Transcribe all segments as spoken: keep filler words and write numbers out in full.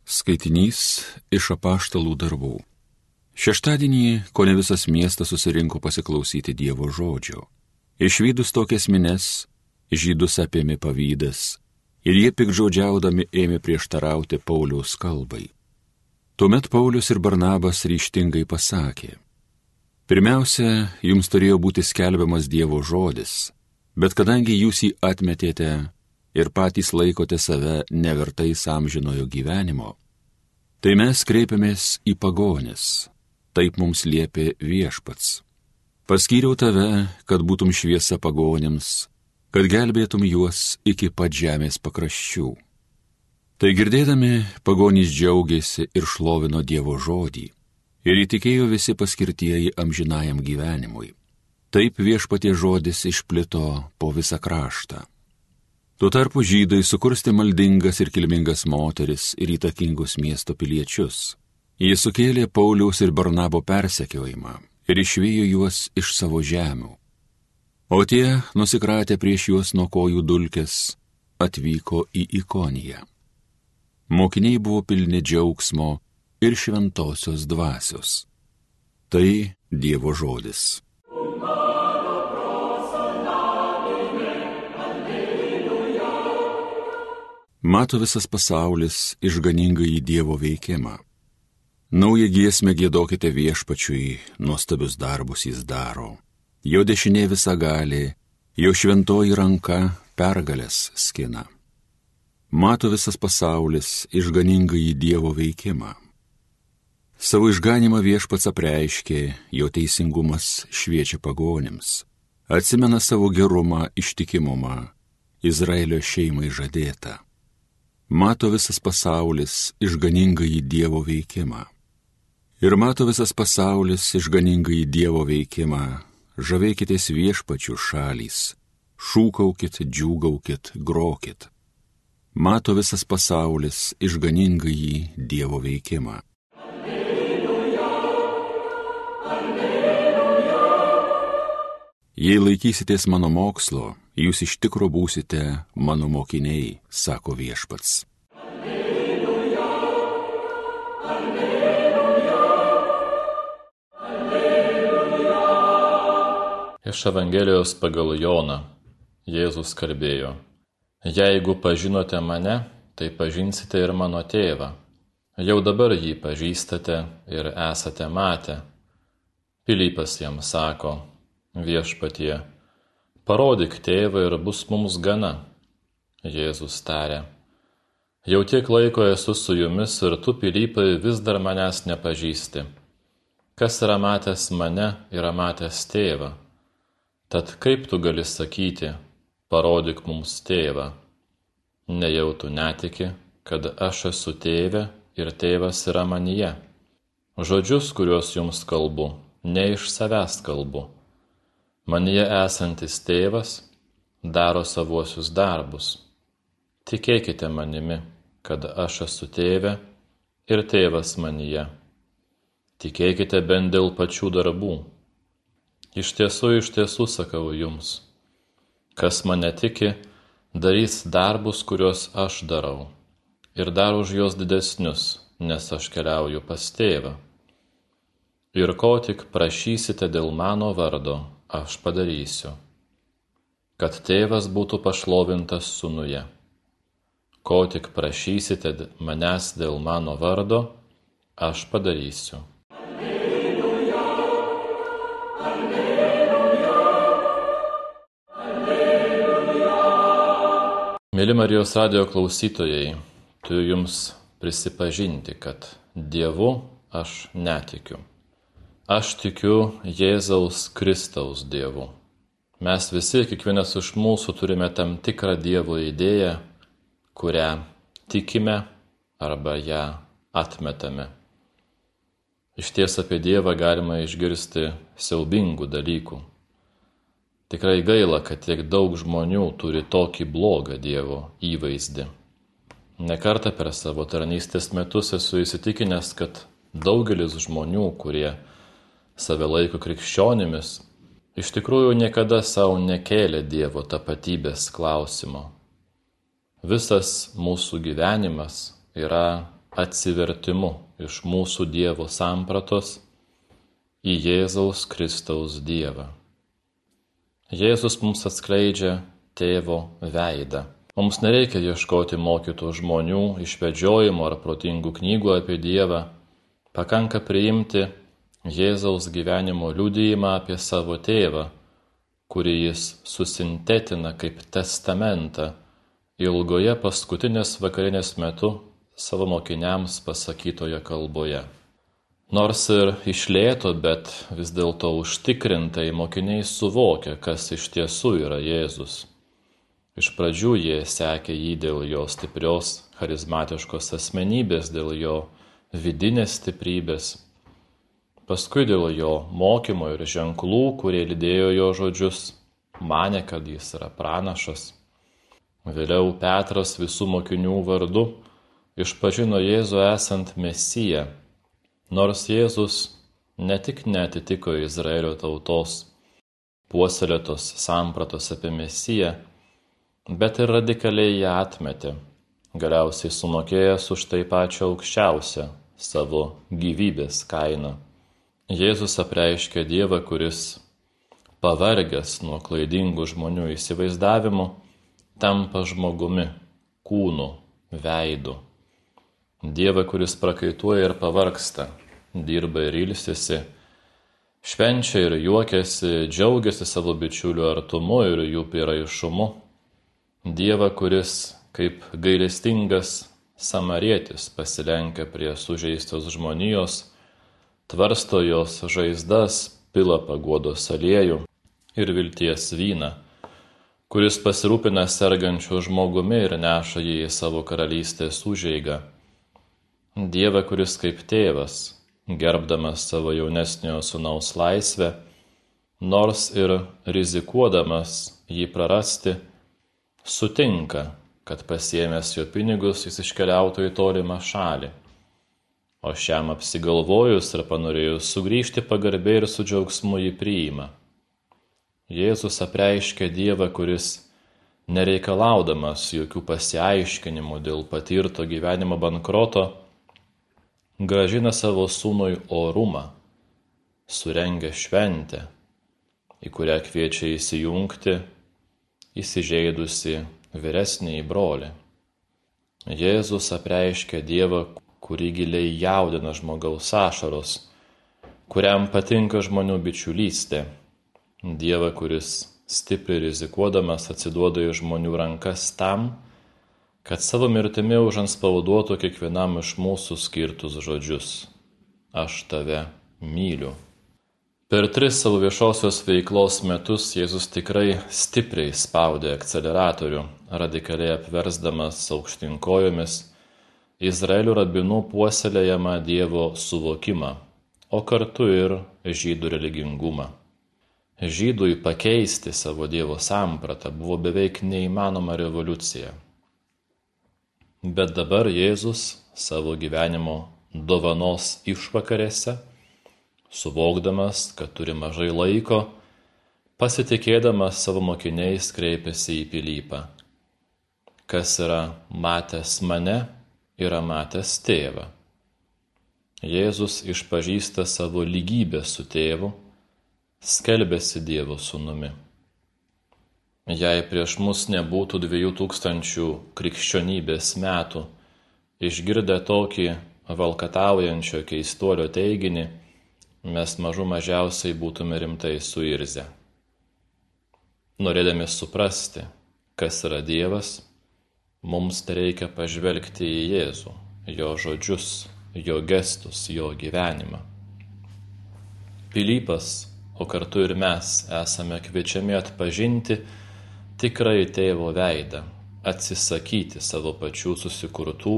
Skaitinys iš apaštalų darbų. Šeštadienį kone visas miestas susirinko pasiklausyti Dievo žodžio. Išvydus tokias mines, žydus apėmė pavydas ir jie piktžodžiaudami ėmė prieštarauti Pauliaus kalbai. Tuomet Paulius ir Barnabas ryžtingai pasakė: Pirmiausia, jums turėjo būti skelbiamas Dievo žodis, bet kadangi jūs jį atmetėte ir patys laikote save nevertais amžinojo gyvenimo, tai mes kreipiamės į pagonis, taip mums liepė Viešpats. Paskyriau tave, kad būtum šviesa pagonims, kad gelbėtum juos iki pat žemės pakraščių. Tai girdėdami, pagonys džiaugėsi ir šlovino Dievo žodį, ir įtikėjo visi paskirtieji amžinajam gyvenimui. Taip Viešpatie žodis išplito po visą kraštą. Tuo tarpu žydai sukurstė maldingas ir kilmingas moteris ir įtakingus miesto piliečius. Jie sukėlė Pauliaus ir Barnabo persekiojimą ir išvijo juos iš savo žemių. O tie, nusikratę prieš juos nuo kojų dulkės, atvyko į Ikoniją. Mokiniai buvo pilni džiaugsmo ir šventosios dvasios. Tai Dievo žodis. Mato visas pasaulis išganingąjį Dievo veikimą. Naują giesmę giedokite Viešpačiui, nuostabius darbus jis daro. Jo dešinė visagalė, jo šventoji ranka pergalės skina. Mato visas pasaulis išganingąjį Dievo veikimą. Savo išganimą Viešpats apreiškė, jo teisingumas šviečia pagonims. Atsimena savo gerumą, ištikimumą, Izraelio šeimai žadėtą. Mato visas pasaulis išganingąjį Dievo veikimą. Ir mato visas pasaulis išganingąjį Dievo veikimą. Žavėkitės Viešpačiu šalys, šūkaukit, džiūgaukit, grokit. Mato visas pasaulis išganingąjį Dievo veikimą. Alleluja, alleluja. Jei laikysitės mano mokslo, jūs iš tikro būsite mano mokiniai, sako Viešpats. Alleluja, alleluja, alleluja. Iš Evangelijos pagal Joną Jėzus kalbėjo: Jeigu pažinote mane, tai pažinsite ir mano tėvą. Jau dabar jį pažįstate ir esate matę. Pilypas jam sako: Viešpatie, parodyk tėvą ir bus mums gana. Jėzus tarė: Jau tiek laiko esu su jumis ir tu, Pilypai, vis dar manęs nepažįsti. Kas yra matęs mane, yra matęs tėvą. Tad kaip tu gali sakyti: parodyk mums tėvą? Nejau tu netiki, kad aš esu tėve ir tėvas yra manyje. Žodžius, kuriuos jums kalbu, ne iš savęs kalbu. Manyje esantis tėvas daro savuosius darbus. Tikėkite manimi, kad aš esu tėve ir tėvas manyje. Tikėkite bent dėl pačių darbų. Iš tiesų, iš tiesų sakau jums, kas mane tiki, darys darbus, kuriuos aš darau, ir dar už juos didesnius, nes aš keliauju pas tėvą. Ir ko tik prašysite dėl mano vardo, aš padarysiu, kad tėvas būtų pašlovintas sūnuje. Ko tik prašysite manęs dėl mano vardo, aš padarysiu. Alleluja, alleluja, alleluja. Mėly Marijos radijo klausytojai, turiu jums prisipažinti, kad Dievu aš netikiu. Aš tikiu Jėzaus Kristaus Dievu. Mes visi, kiekvienas iš mūsų, turime tam tikrą Dievo idėją, kurią tikime arba ją atmetame. Iš ties apie Dievą galima išgirsti siaubingų dalykų. Tikrai gaila, kad tiek daug žmonių turi tokį blogą Dievo įvaizdį. Nekartą per savo tarnystės metus esu įsitikinęs, kad daugelis žmonių, kurie save laiko krikščionimis, iš tikrųjų niekada savo nekėlė Dievo tapatybės klausimo. Visas mūsų gyvenimas yra atsivertimu iš mūsų Dievo sampratos į Jėzaus Kristaus Dievą. Jėzus mums atskleidžia Tėvo veidą. Mums nereikia ieškoti mokytų žmonių, išvedžiojimų ar protingų knygų apie Dievą. Pakanka priimti Jėzaus gyvenimo liudijimą apie savo tėvą, kurį jis susintetina kaip testamentą ilgoje paskutinės vakarinės metu savo mokiniams pasakytoje kalboje. Nors ir iš lėto, bet vis dėlto užtikrintai mokiniai suvokia, kas iš tiesų yra Jėzus. Iš pradžių jie sekė jį dėl jo stiprios, charizmatiškos asmenybės, dėl jo vidinės stiprybės, paskui dėl jo mokymo ir ženklų, kurie lydėjo jo žodžius, manė, kad jis yra pranašas. Vėliau Petras visų mokinių vardu išpažino Jėzų esant Mesiją, nors Jėzus ne tik neatitiko Izraelio tautos puoselėtos sampratos apie Mesiją, bet ir radikaliai ją atmetė, galiausiai sumokėjęs už tai pačią aukščiausią savo gyvybės kainą. Jėzus apreiškė Dievą, kuris, pavargęs nuo klaidingų žmonių įsivaizdavimų, tampa žmogumi, kūnu, veidu. Dievą, kuris prakaituoja ir pavargsta, dirba ir ilsisi, švenčia ir juokiasi, džiaugiasi savo bičiulių artumu ir jų prieraišumu. Dievą, kuris kaip gailestingas samarietis pasilenkia prie sužeistos žmonijos, tvarsto jos žaizdas, pila paguodos aliejų ir vilties vyną, kuris pasirūpina sergančiu žmogumi ir neša jį į savo karalystės užeigą. Dievą, kuris kaip tėvas, gerbdamas savo jaunesniojo sūnaus laisvę, nors ir rizikuodamas jį prarasti, sutinka, kad pasiėmęs jo pinigus jis iškeliautų į tolimą šalį, o šiam apsigalvojus ir panorėjus sugrįžti pagarbiai ir su džiaugsmu jį priima. Jėzus apreiškia Dievą, kuris, nereikalaudamas jokių pasiaiškinimų dėl patirto gyvenimo bankroto, grąžina savo sūnui orumą, surengia šventę, į kurią kviečia įsijungti įsižeidusi vyresnįjį brolį. Jėzus apreiškia Dievą, kurį giliai jaudina žmogaus ašaros, kuriam patinka žmonių bičiulystė. Dievą, kuris stipriai rizikuodamas atsiduoda į žmonių rankas tam, kad savo mirtimi užantspauduotų kiekvienam iš mūsų skirtus žodžius: aš tave myliu. Per tris savo viešosios veiklos metus Jėzus tikrai stipriai spaudė akceleratorių, radikaliai apversdamas aukštyn kojomis Izraelio rabinų puoselėjamą Dievo suvokimą, o kartu ir žydų religingumą. Žydui pakeisti savo Dievo sampratą buvo beveik neįmanoma revoliucija. Bet dabar Jėzus savo gyvenimo dovanos išvakarėse, suvokdamas, kad turi mažai laiko, pasitikėdamas savo mokiniais kreipėsi į Pilypą. Kas yra matęs mane, yra matęs tėvą. Jėzus išpažįsta savo lygybę su tėvu, skelbiasi Dievo sūnumi. Jei prieš mus nebūtų dviejų tūkstančių krikščionybės metų, išgirdę tokį valkataujančio keistuolio teiginį, mes mažų mažiausiai būtume rimtai suirzę. Norėdami suprasti, kas yra Dievas, mums reikia pažvelgti į Jėzų, jo žodžius, jo gestus, jo gyvenimą. Pilypas, o kartu ir mes, esame kviečiami atpažinti tikrai tėvo veidą, atsisakyti savo pačių susikurtų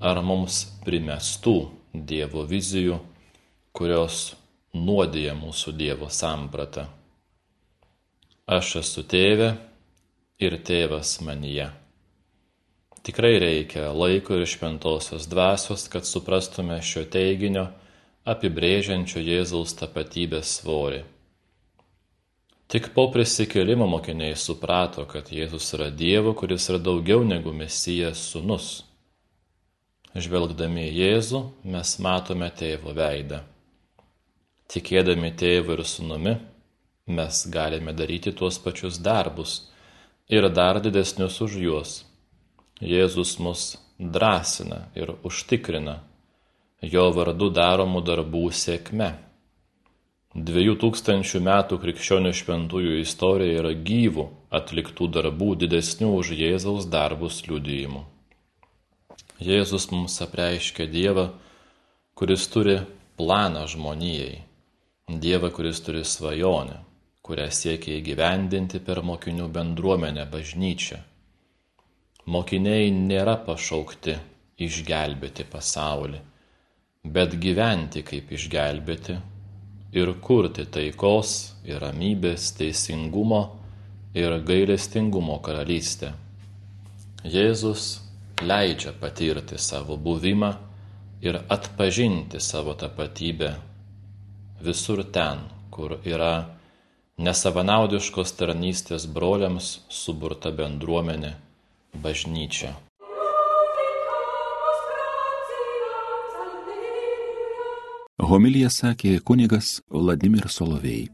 ar mums primestų Dievo vizijų, kurios nuodija mūsų Dievo sampratą. Aš esu tėve ir tėvas manyje. Tikrai reikia laiko ir šventosios dvasios, kad suprastume šio teiginio apibrėžiančio Jėzaus tapatybės svorį. Tik po prisikėlimo mokiniai suprato, kad Jėzus yra Dievo, kuris yra daugiau negu Mesijas sūnus. Žvelgdami į Jėzų mes matome Tėvo veidą. Tikėdami Tėvu ir Sūnumi mes galime daryti tuos pačius darbus ir dar didesnius už juos. Jėzus mus drąsina ir užtikrina jo vardu daromų darbų sėkme. Dviejų tūkstančių metų krikščionių šventųjų istorija yra gyvų atliktų darbų didesnių už Jėzaus darbus liudijimų. Jėzus mums apreiškia Dievą, kuris turi planą žmonijai, Dievą, kuris turi svajonę, kurią siekia įgyvendinti per mokinių bendruomenę bažnyčią. Mokiniai nėra pašaukti išgelbėti pasaulį, bet gyventi kaip išgelbėti ir kurti taikos ir ramybės, teisingumo ir gailestingumo karalystę. Jėzus leidžia patirti savo buvimą ir atpažinti savo tapatybę visur ten, kur yra nesavanaudiškos tarnystės broliams suburta bendruomenė, bažnyčia. Homiliją sakė kunigas Vladimir Solovej.